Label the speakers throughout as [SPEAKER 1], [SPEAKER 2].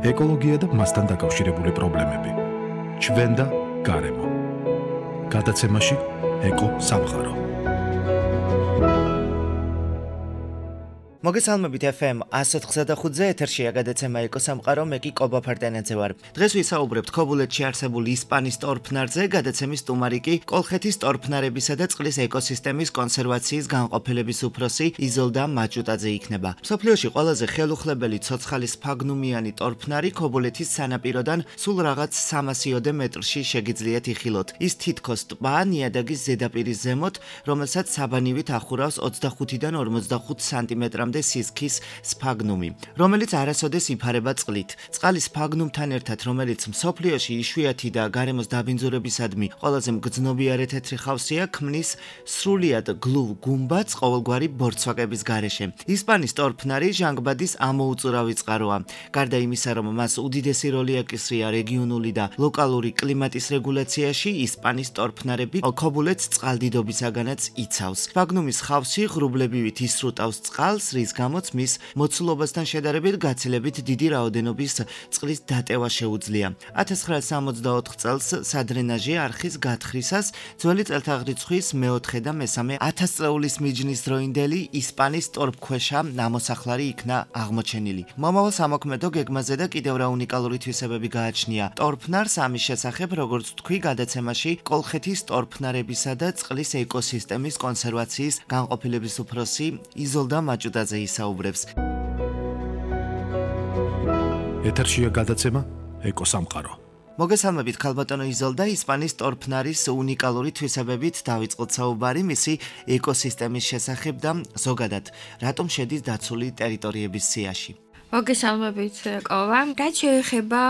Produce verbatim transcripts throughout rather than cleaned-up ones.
[SPEAKER 1] ეკოლოგია და მასთან დაკავშირებული პრობლემები. ჩვენ და გარემო. გადაცემაში ეკო სამყარო.
[SPEAKER 2] მოგესალმებით ეფ ემ one oh eight point five-ზე ეთერშია გადაცემა ეკო სამყარო, მე კი კობა ფარდანაძე ვარ. დღეს ვისაუბრებთ ქობულეთში არსებულ ისპანის ტორფნარზე, გადაცემის სტუმარი კი კოლხეთის ტორფნარებისა და წყლის ეკოსისტემის კონსერვაციის განყოფილების უფროსი იზოლდა მაჭუტაძე იქნება. მსოფლიოში ყველაზე ხელუხლებელი ცოცხალი სფაგნუმიანი ტორფნარი ქობულეთის სანაპიროდან სულ რაღაც სამასიოდე მეტრში შეგიძლიათ იხილოთ. ის თითქოს ტბა ნიადაგის ზედაპირის ზემოთ, რომელსაც საბანივით ახურავს ოცდახუთიდან ორმოცდახუთ სანტიმეტრამდე სისქის სფაგნუმი, რომელიც არასოდეს იფარება წყლით. წყალი სფაგნუმთან ერთად, რომელიც მსოფლიოში იშვიათი და გარემოს დაბინძურებისადმი ყველაზე მგრძნობიარე თეთრი ხავსია, ქმნის სრულიად გლუვ გუმბათს ყოველგვარი ბორცვაკების გარეშე. ისპანის ტორფნარი ჟანგბადის ამოუწურავი წყაროა. გარდა იმისა, რომ მას უდიდესი როლი აკისრია რეგიონული და ლოკალური კლიმატის რეგულაციაში, ისპანის ტორფნარები ქობულეთს წყალდიდობისაგანაც იცავს. სფაგნუმის ხავსი ღრუბლებივით ისრუტავს წყალს, რის გამოც მის მოცულობასთან შედარებით გაცილებით დიდი რაოდენობის წყლის დატევა შეუძლია. ათას ცხრაასი სამოცდაოთხ წელს სადრენაჟი არხის გათხრისას ძველი წელთაღრიცხვის მეოთხე და მესამე ათასწლეულის მიჯნის დროინდელი ისპანის ტორფქვეშა ნამოსახლარი იქნა აღმოჩენილი. მომავალ სამოქმედო გეგმაზე და კიდევ რა უნიკალური თვისებები გააჩნია ტორფნარს, ამის შესახებ, როგორც თქვი, გადაცემაში კოლხეთის ტორფნარებისა და წყლის ეკოსისტემის კონსერვაციის განყოფილების უფროსი იზოლდა მაჭუტაძე ისაუბრებს.
[SPEAKER 1] ეთერშია გადაცემა ეკო სამყარო.
[SPEAKER 2] მოგესალმებით ქალბატონო იზოლდა, ისპანის ტორფნარის უნიკალური თვისებებით დავიწყოთ საუბარი მისი ეკოსისტემის შესახებ და ზოგადად რატომ შედის დაცული ტერიტორიების სიაში.
[SPEAKER 3] მოგესალმებით კოვა. რაც შეეხება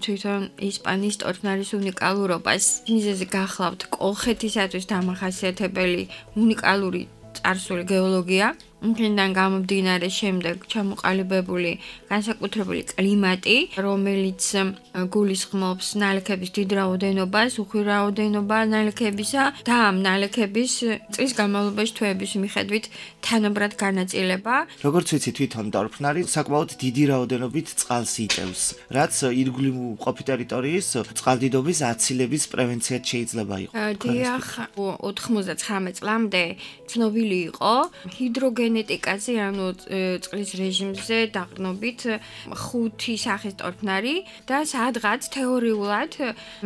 [SPEAKER 3] თვითონ ისპანის ტორფნარის უნიკალურობას, მიზეზი გახლავთ კოლხეთისათვის დამახასიათებელი უნიკალური წარსული გეოლოგია, იქიდან გამომდინარე შემდეგ ჩამოყალიბებული განსაკუთრებული კლიმატი, რომელიც გულისხმობს ნალექების დიდ რაოდენობას, უხვი რაოდენობა ნალექებისა და ამ ნალექების წლის განმავლობაში თვეების მიხედვით თანაბრად განაწილება.
[SPEAKER 2] როგორც ვიცი, თვითონ ტორფნარი საკმაოდ დიდი რაოდენობით წყალს იტევს, რაც ირგვლივ მყოფი ტერიტორიის წყალდიდობის აცილების პრევენციად შეიძლება იყოს.
[SPEAKER 3] დიახ, ოთხმოცდაცხრამეტ წლამდე ცნობილი იყო ჰიდროგენეტიკაზე, ანუ წყლის რეჟიმზე დაყრდნობით ხუთი სახის ტორფნარი და სადღაც თეორიულად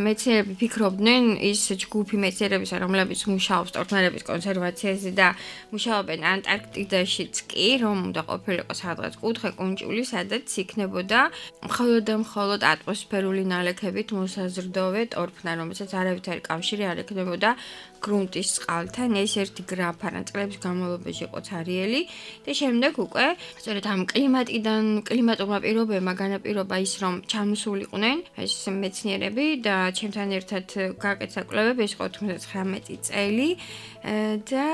[SPEAKER 3] მეცნიერები ფიქრობდნენ, ის ჯგუფი მეცნიერებისა, რომლებიც მუშაობს ტორფნარების კონსერვაციაზე და მუშაობენ ანტარქტიდაშიც კი, რომ უნდა ყოფილიყო სადღაც კუთხე კუნჭული, სადაც იქნებოდა მხოლოდ და მხოლოდ ატმოსფერული ნალექებით მოსაზრდოვე ტორფნარი, რომელსაც არავითარი კავშირი არ ექნებოდა გრუნტის წყალთან. ეს ერთი გრაფა წლების განმავლობაში იყო ცარიელი და შემდეგ უკვე სწორედ ამ კლიმატიდან, კლიმატურმა პირობებმა განაპირობა ის, რომ ჩამოსულიყვნენ ეს მეცნიერები და ჩემთან ერთად გაკეთა კვლევები, ეს იყო ოთხმოცდაცხრამეტი წელი და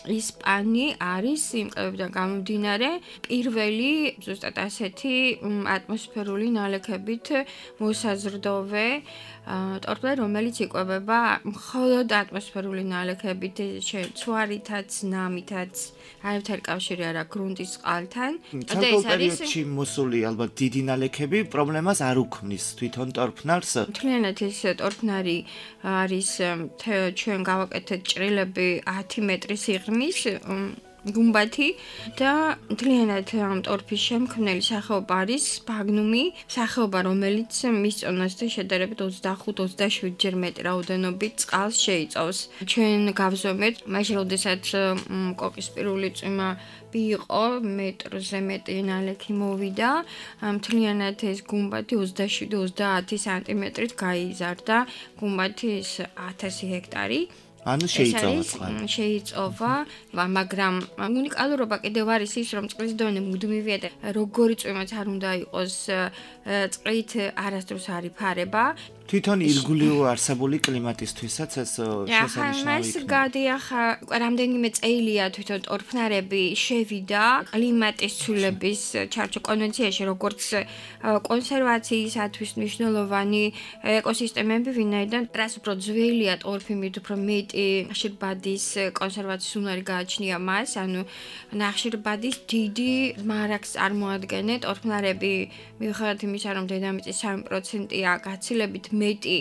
[SPEAKER 3] ისპანი არის იმ კვლევებიდან გამომდინარე პირველი ზუსტად ასეთი ატმოსფერული ნალექებით მოსაზრდოვე ტორფნარი, რომელიც იკვებება მხოლოდ ატმოსფერული ნალექებით, ცვარითაც, ნამითაც, არავითარი კავშირი არ აქვს გრუნტის წყალთან.
[SPEAKER 2] და ეს არის მოსული ალბათ დიდი ნალექები პრობლემას არ უქმნის თვითონ ტორფნარს.
[SPEAKER 3] მთლიანად ეს ტორფნარი არის ჩვენ გავაკეთეთ ჭრილები ათი მეტრი სიღრმის გუმბათი და მთლიანად ამ ტორფის შემქმნელი სახეობა არის სფაგნუმი, სახეობა, რომელიც მის წონასთან შედარებით ოცდახუთ ოცდაშვიდ ჯერ მეტი რაოდენობით წყალს შეიწოვს. ჩვენ გავზომეთ, მაშინ როდესაც კოკისპირული წვიმა იყო, მეტრზე მეტი ნალექი მოვიდა, მთლიანად ეს გუმბათი ოცდაშვიდ ოცდაათი სანტიმეტრით გაიზარდა, გუმბათის ათასი ჰექტარი.
[SPEAKER 2] ანუ შეიწოვა წყალი.
[SPEAKER 3] შეიწოვა, მაგრამ უნიკალურობა კიდევ არის ის, რომ წყლის დონე მუდმივია და როგორი წვიმაც არ უნდა იყოს, წყლით არასდროს არ იფარება.
[SPEAKER 2] თვითონ ირგვლივ არსებული კლიმატისთვისაც ეს შესანიშნავი
[SPEAKER 3] იქნება. გადიახა რამდენიმე წელია თვითონ ტორფნარები შევიდა კლიმატის ცვლილების ჩარჩო კონვენციაში, როგორც კონსერვაციისათვის მნიშვნელოვანი ეკოსისტემები, ვინაიდან რას უფრო ძველია ტორფი, მით უფრო მეტი ნახშირბადის კონსერვაციის უნარი გააჩნია მას, ანუ ნახშირბადის დიდი მარაგს წარმოადგენენ ტორფნარები, მიუხედავად იმისა, რომ დედამიწის სამი პროცენტია გაცილებით მეტი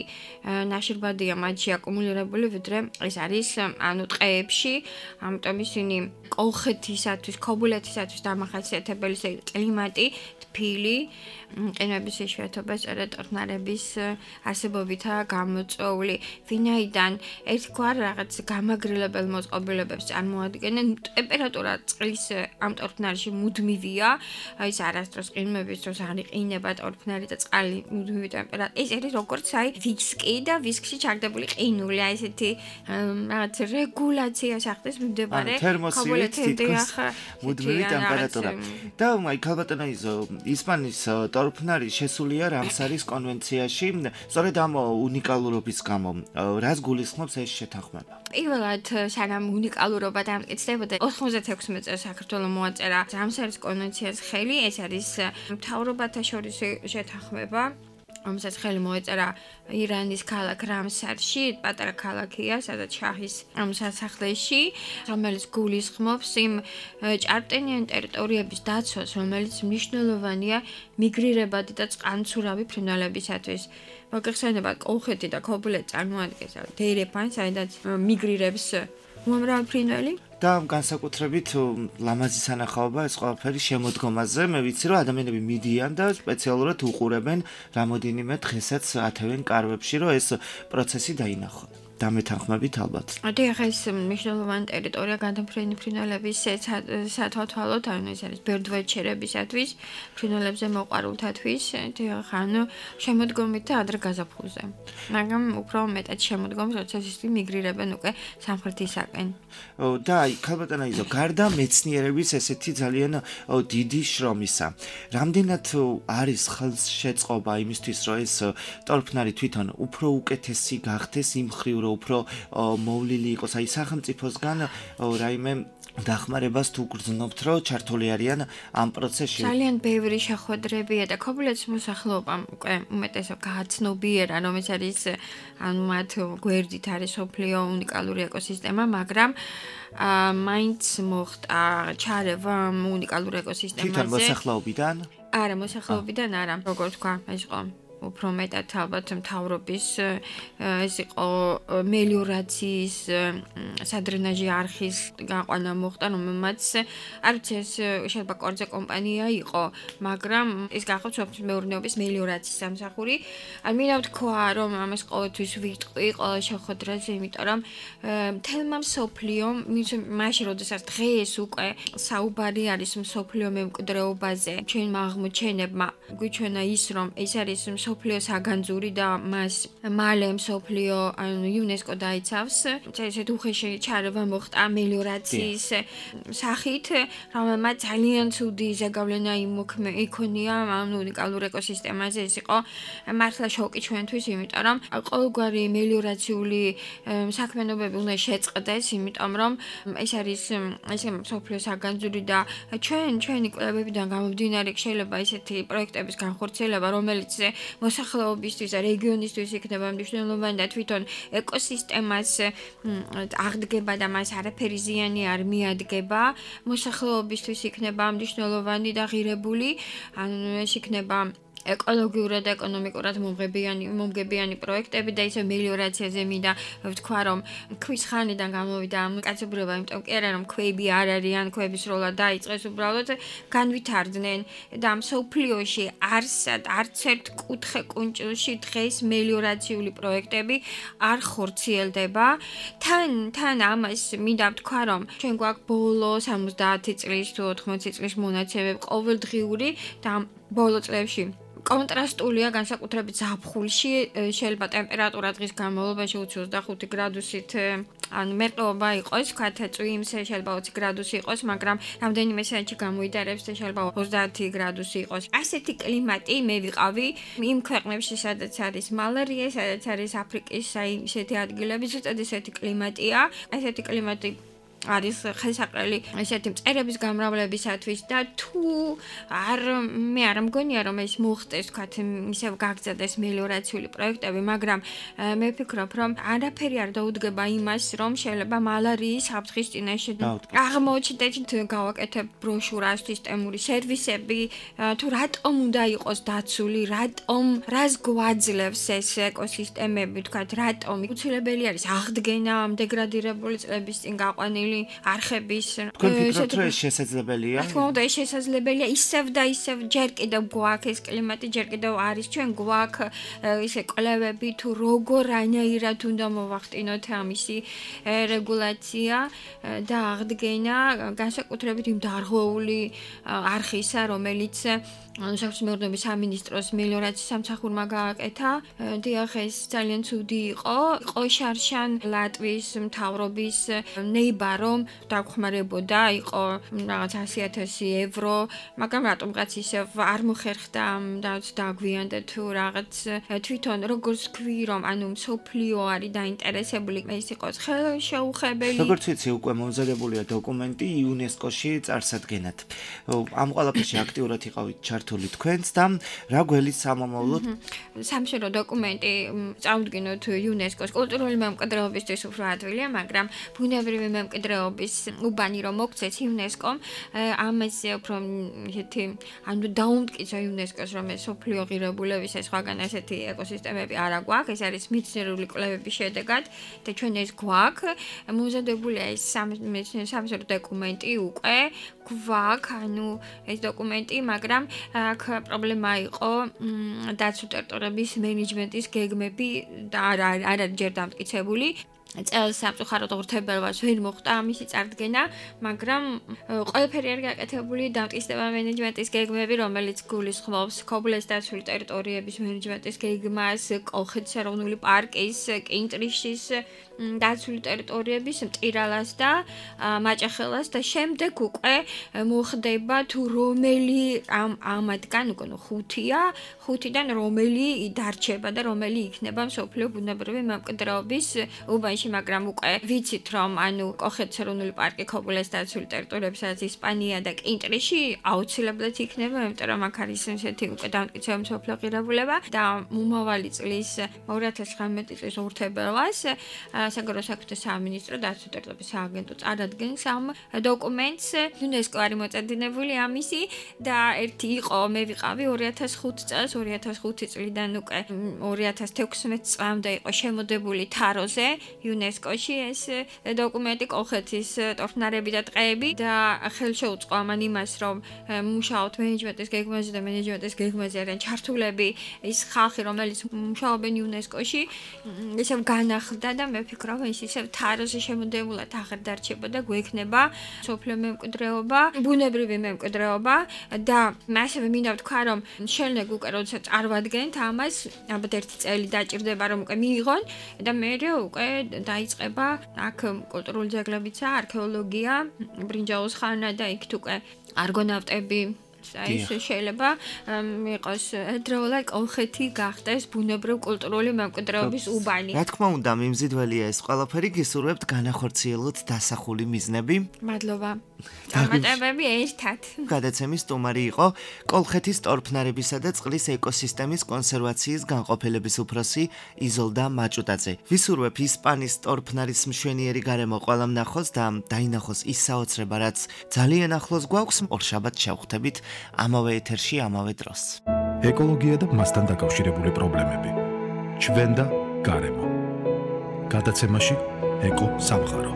[SPEAKER 3] ნახშირბადია მათში აკუმულირებული, ვიდრე ეს არის ანუ ტყეებში, ამიტომ ისინი კოლხეთისათვის, ქობულეთისათვის დამახასიათებელი კლიმატი, თბილი, ყინვების იშვიათობა სწორედ ტორფნარების არსებობითაა გამოწვეული, ვინაიდან ერთგვარ რაღაც გამაგრილებელ მოწყობილობებს წარმოადგენენ, ტემპერატურა წყლის ამ ტორფნარში მუდმივია, ის არასდროს ყინვების დროს არ იყინება ტორფნარი და წყალი მუდმივი ტემპერატურა. ეს არის როგორც აი ვისკი და ვისკში ჩაგდებული ყინული, აი ესეთი რაღაც რეგულაციას ახდენს მიმდებარე
[SPEAKER 2] ქობულეთიდან მუდმივი ტემპერატურა. და აი ქალბატონო იზო ისპანის ტორფნარი შესულია რამსარის კონვენციაში, სწორედ ამ უნიკალურობის გამო. რას გულისხმობს ეს შეთანხმება?
[SPEAKER 3] პირველად, სანამ უნიკალურობა დამტკიცდებოდა, ოთხმოცდათექვსმეტ წელს საქართველოს მოაწერა რამსარის კონვენციას ხელი, ეს არის მთავრობათა შორის შეთანხმება. რომელსაც ხელი მოეწერა ირანის ქალაქ რამსარში, პატარა ქალაქია, სადაც შაჰის სასახლეში, რომელიც გულისხმობს იმ ჭარბტენიან ტერიტორიების დაცვას, რომელიც მნიშვნელოვანია მიგრირებადი და წყალმცურავი ფრინველებისათვის. მოგეხსენებათ, კოლხეთი და ქობულეთი წარმოადგენს დერეფანს, საიდანაც მიგრირებს უამრავი ფრინველი.
[SPEAKER 2] და განსაკუთრებით ლამაზი სანახაობა ეს ყველაფერი შემოდგომაზე. მე ვიცი, რომ ადამიანები მიდიან და სპეციალურად უყურებენ რამოდენიმე დღესაც ათევენ კარვებში, რომ ეს პროცესი დაინახონ. დამეთანხმებით ალბათ.
[SPEAKER 3] დიახ, ეს მნიშვნელოვანი ტერიტორია გადამფრენი ფრინველების სათვალთვალოდ, ანუ ეს არის ბერდვაჩერებისათვის, ფრინველებზე მოყვარულთათვის, დიახ, ანუ შემოდგომით და ადრე გაზაფხულზე. მაგრამ უფრო მეტად შემოდგომს, როცა ისინი მიგრირებენ უკვე სამხრეთისაკენ.
[SPEAKER 2] და აი, ქალბატონო იზო, გარდა მეცნიერების ესეთი ძალიან დიდი შრომისა, რამდენად არის ხელშეწყობა იმისთვის, რომ ეს ტორფნარი თვითონ უფრო უკეთესი გახდეს იმ მხრივ, უფრო მოვლილი იყოს, აი სახელმწიფოსგან რაიმე დახმარებას თუ გრძნობთ, რომ ჩართული არიან ამ პროცესში.
[SPEAKER 3] ძალიან ბევრი შეხვედრებია და ქობულეთის მოსახლეობამ უკვე უმეტესად გააცნობიერა, რომ ეს არის ანუ მათ გვერდით არის სოფლიო უნიკალური ეკოსისტემა, მაგრამ მაინც მოხდა ჩარევა უნიკალურ ეკოსისტემაზე.
[SPEAKER 2] თვითონ მოსახლეობიდან?
[SPEAKER 3] არა, მოსახლეობიდან არა, როგორ თქვა, ეს იყო უფრო მეტად ალბათ მთავრობის ეს იყო მელიორაციის სადრენაჟი არხის გაყვანა მოხდა, რომელმაც არ ვიცი ეს შეიძლება კორძე კომპანია იყო, მაგრამ ეს გახდა სოფლის მეურნეობის მელიორაციის სამსახური. ან მინდა ვთქვა, რომ ამას ყოველთვის ვიტყვი ყველა შეხვედრაზე, იმიტომ რომ მთელმა მსოფლიომ, მაშინ როდესაც დღეს უკვე საუბარი არის მსოფლიო მემკვიდრეობაზე, ჩვენმა აღმოჩენებმა გვიჩვენა ის, რომ ეს არის მსოფლიო საგანძური და მას მალე მსოფლიო ანუ იუნესკო დაიცავს. ესეთი უხეში ჩარევა მოხდა მელიორაციის სახით, რომელმაც ძალიან ცუდი ზეგავლენა იქონია ამ უნიკალურ ეკოსისტემაზე. ეს იყო მართლა შოკი ჩვენთვის, იმიტომ რომ ყოველგვარი მელიორაციული საქმიანობები უნდა შეწყდეს, იმიტომ რომ ეს არის ეს მსოფლიო საგანძური და ჩვენ ჩვენი კვლევებიდან გამომდინარე შეიძლება ესეთი პროექტების განხორციელება, რომელიც მოსახლეობისთვის და რეგიონისთვის იქნება მნიშვნელოვანი და თვითონ ეკოსისტემას აღდგება და მას არაფერი ზიანი არ მიადგება, მოსახლეობისთვის იქნება მნიშვნელოვანი და ღირებული, ანუ ეს იქნება ეკოლოგიურად და ეკონომიკურად მომღებიანი მომგებიანი პროექტები და ისე მელიორაციაზე მინდა ვთქვა, რომ ქვის ხანიდან გამოვიდა ამ კაცობრიობა, იმიტომ კი არა რომ ქვები არ არიან, ქვების როლა დაიწყეს, უბრალოდ განვითარდნენ და მსოფლიოში არსად არც ერთ კუთხე კუნჭილში დღეს მელიორაციული პროექტები არ ხორციელდება. თან თან ამას მინდა ვთქვა, რომ ჩვენ გვაქვს ბოლო სამოცდაათი წლის თუ ოთხმოცი წლის მონაცემები ყოველდღიური და ბოლო წლებში კონტრასტულია განსაკუთრებით ზაფხულში, შეიძლება ტემპერატურა დღის განმავლობაში ოცდახუთი გრადუსით ანუ მერყეობა იყოს, ვთქვათ, წვიმს შეიძლება ოცი გრადუსი იყოს, მაგრამ რამდენიმე საათში გამოიდარებს და შეიძლება ოცდაათი გრადუსი იყოს. ასეთი კლიმატი მე ვიყავი იმ ქვეყნებში, სადაც არის მალარია, სადაც არის აფრიკის აი ესეთი ადგილები, ზუსტად ესეთი კლიმატია. ესეთი კლიმატი არის ხელსაყრელი ესეთი მწერების გამრავლებისათვის და თუ არ მე არ მგონია რომ ეს მოხდეს თქვათ ისევ გაგზადდეს მელიორაციული პროექტები, მაგრამ მე ვფიქრობ რომ არაფერი არ დაუდგება იმას რომ შეიძლება მალარიის საფრთხის წინაშე აღმოჩნდეთ გავაკეთებ ბროშურას სისტემური სერვისები თუ რატომ უნდა იყოს დაცული, რატომ რას გვაძლევს ეს ეკოსისტემები თქვათ რატომ უცილებელი არის აღდგენა ამ დეგრადირებული წლების წინ გაყვანილი არხების
[SPEAKER 2] ფიქრობთ რომ ეს შესაძლებელია?
[SPEAKER 3] თქო, და ეს შესაძლებელია ისევ და ისევ ჯერ კიდევ გვაქვს ეს კლიმატი, ჯერ კიდევ არის ჩვენ გვაქვს ისე კვლევები თუ როგორ რანაირად უნდა მოვახტინოთ ამისი რეგულაცია და აღდგენა განსაკუთრებით იმ დარღვეული არხისა, რომელიც საქმიანობის სამინისტროს მელიორაციის სამსახურმა გააკეთა. დიახ, ეს ძალიან ცუდი იყო. იყო შარშან ლატვიის მთავრობის ნეიბა რომ დაგხმარებოდა, იყო რაღაც ასი ათასი ევრო, მაგრამ რატომღაც ისევ არ მოხერხდა და დაგვიანდა თუ რაღაც თვითონ როგორც ქვი რომ ანუ მსოფლიო არის დაინტერესებული ეს იყოს ხელშეუხებელი.
[SPEAKER 2] როგორც ვიცი, უკვე მომზადებულია დოკუმენტი იუნესკოში წარსადგენად. ამ ყველაფერში აქტიურად იყავით ჩართული თქვენც და რა გველის სამომავლოდ?
[SPEAKER 3] სამშობლო დოკუმენტი წავდგინოთ იუნესკოს კულტურული მემკვიდრეობისთვის უფრო ადვილია, მაგრამ ბუნებრივი მემკვიდრეობის უბანი რომ მოგცეს იუნესკომ, ამაზე უფრო ისეთი ანუ დაუმტკიცა იუნესკოს რომ ეს სოფლიო ღირებულების ეს სხვაგან ასეთი ეკოსისტემები არა გვაქვს, ეს არის მეცნიერული კვლევების შედეგად და ჩვენ ეს გვაქვს. მომზადებულია ეს სამშობლო დოკუმენტი უკვე გვაქვს, ანუ ეს დოკუმენტი, მაგრამ აქ პრობლემა იყო დაცულ ტერიტორიების მენეჯმენტის გეგმები და არ არის ჯერ დამტკიცებული. წელს სამწუხაროდ ღირებულებას ვერ მოხდა ამისი წარდგენა, მაგრამ ყველაფერი არის გაკეთებული დამტკიცდება მენეჯმენტის გეგმები, რომელიც გულისხმობს ქობულეს დაცული ტერიტორიების მენეჯმენტის გეგმას, კოლხეთის ეროვნული პარკის, კინტრიშის დაცული ტერიტორიების, მტირალას და მაჭახელას და შემდეგ უკვე მოხდება თუ რომელი ამ ამათგან უკვე ხუთია, ხუთიდან რომელი დარჩება და რომელი იქნება მსოფლიო ბუნებრივი მემკვიდრეობის უბანში, მაგრამ უკვე ვიცით რომ ანუ კოლხეთის ეროვნული პარკი, ქობულეს დაცული ტერიტორიები, სადაც ისპანია და კინტრიში აუცილებლად იქნება, იმიტომ რომ აქ არის ესეთი უკვე დამტკიცებული მსოფლიო ღირებულება და მომავალი წლის ორი ათას ცხრამეტი წლის ორთებერლას საგარეო საქმეთა სამინისტრო დაცული ტერიტორიების სააგენტო წარადგენს ამ დოკუმენტს. იუნესკო არის მოწადინებული ამისი და ერთი იყო მე ვიყავი ორი ათას ხუთი წელს, ორი ათას ხუთი წლიდან უკვე ორი ათას თექვსმეტ წლამდე იყო შემოდებული თაროზე იუნესკოში ეს დოკუმენტი კოლხეთის ტორფნარები და ტყეები და ხელშეუწყო ამან იმას რომ მუშაობთ მენეჯმენტის გეგმაზე და მენეჯმენტის გეგმაზე არიან ჩართულები ის ხალხი რომელიც მუშაობენ იუნესკოში ისევ განახლდა და მე ვფიქრობ ის ისევ თაროზე შემოდებულად აღარ დარჩება და გვექნება სოფლიო მემკვიდრეობა, ბუნებრივი მემკვიდრეობა და მასევე მინდა ვთქვა რომ შენლეგ უკვე როდესაც წარვადგენთ ამას ალბათ ერთი წელი დაჭირდება რომ უკვე მიიღონ და მე უკვე დაიწყება აქ კულტურული ძეგლებიცა, არქეოლოგია, ბრინჯაოს ხანა და იქ უკვე არგონავტები აი ეს შეიძლება იყოს დროულად კოლხეთი გახდეს ბუნებრივ კულტურული მემკვიდრეობის უბანი.
[SPEAKER 2] რა თქმა უნდა, მიმზიდველია ეს ყველაფერი, გისურვებთ განახორციელოთ დასახული მიზნები.
[SPEAKER 3] მადლობა. დამატებები ერთად.
[SPEAKER 2] გადაცემის სტუმარი იყო კოლხეთის ტორფნარებისა და წყლის ეკოსისტემის კონსერვაციის განყოფილების უფროსი იზოლდა მაჭუტაძე. ვისურვებ ისპანის ტორფნარის მშვენიერი გარემო ყველამ ნახოს და დაინახოს ის საოცრება, რაც ძალიან ახლოს გვაქვს. ორშაბათს შევხვდებით ამავე ეთერში, ამავე დროს.
[SPEAKER 1] ეკოლოგია და მასთან დაკავშირებული პრობლემები. ჩვენ და გარემო. გადაცემაში ეკო სამყარო.